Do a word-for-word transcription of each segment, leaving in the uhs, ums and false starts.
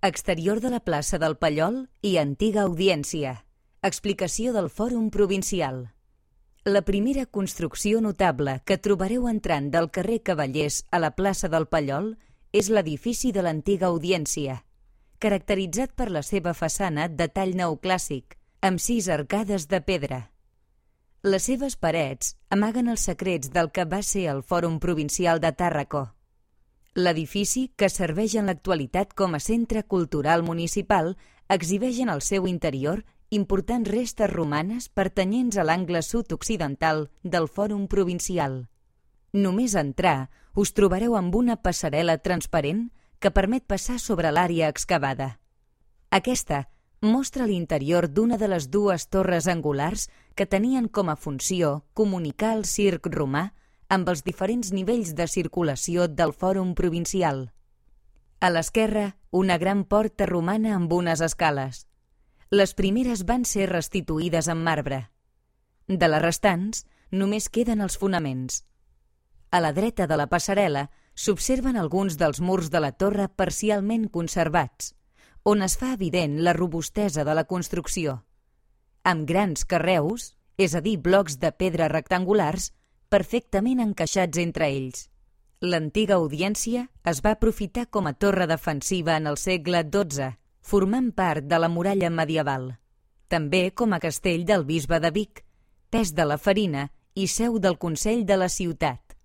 Exterior de la plaça del Pallol i antiga audiència. Explicació del Fòrum Provincial. La primera construcció notable que trobareu entrant del carrer Cavallers a la plaça del Pallol és l'edifici de l'antiga audiència, caracteritzat per la seva façana de tall neoclàssic, amb sis arcades de pedra. Les seves parets amaguen els secrets del que va ser el Fòrum Provincial de Tàrraco. L'edifici, que serveix en l'actualitat com a centre cultural municipal, exhibeix en el seu interior importants restes romanes pertanyents a l'angle sud-occidental del Fòrum Provincial. Només entrar, us trobareu amb una passarel·la transparent que permet passar sobre l'àrea excavada. Aquesta mostra l'interior d'una de les dues torres angulars que tenien com a funció comunicar el circ romà amb els diferents nivells de circulació del Fòrum Provincial. A l'esquerra, una gran porta romana amb unes escales. Les primeres van ser restituïdes en marbre. De les restants, només queden els fonaments. A la dreta de la passarel·la s'observen alguns dels murs de la torre parcialment conservats, on es fa evident la robustesa de la construcció. Amb grans carreus, és a dir, blocs de pedra rectangulars, perfectament encaixats entre ells. L'antiga audiència es va aprofitar com a torre defensiva en el segle dotze, formant part de la muralla medieval. També com a castell del bisbe de Vic, pes de la farina i seu del consell de la ciutat.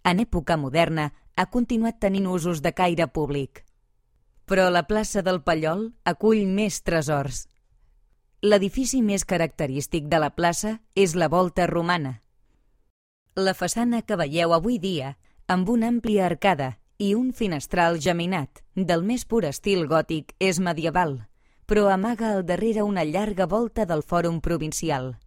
En època moderna ha continuat tenint usos de caire públic. Però la plaça del Pallol acull més tresors. L'edifici més característic de la plaça és la volta romana. La façana que veieu avui dia, amb una àmplia arcada i un finestral geminat, del més pur estil gòtic, és medieval, però amaga al darrere una llarga volta del Fòrum Provincial.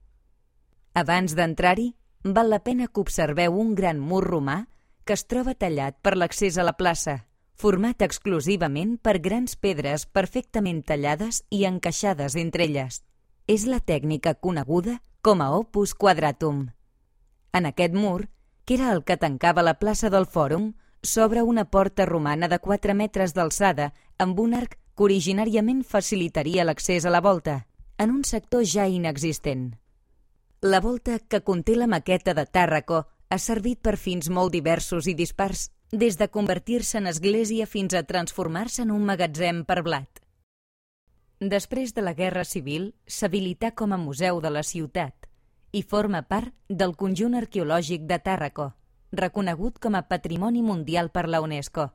Abans d'entrar-hi, val la pena que observeu un gran mur romà que es troba tallat per l'accés a la plaça, format exclusivament per grans pedres perfectament tallades i encaixades entre elles. És la tècnica coneguda com a opus quadratum. En aquest mur, que era el que tancava la plaça del Fòrum, s'obre una porta romana de quatre metres d'alçada amb un arc que originàriament facilitaria l'accés a la volta, en un sector ja inexistent. La volta, que conté la maqueta de Tàrraco, ha servit per fins molt diversos i dispars, des de convertir-se en església fins a transformar-se en un magatzem per blat. Després de la Guerra Civil, s'habilità com a museu de la ciutat i forma part del conjunt arqueològic de Tàrraco, reconegut com a Patrimoni Mundial per la UNESCO.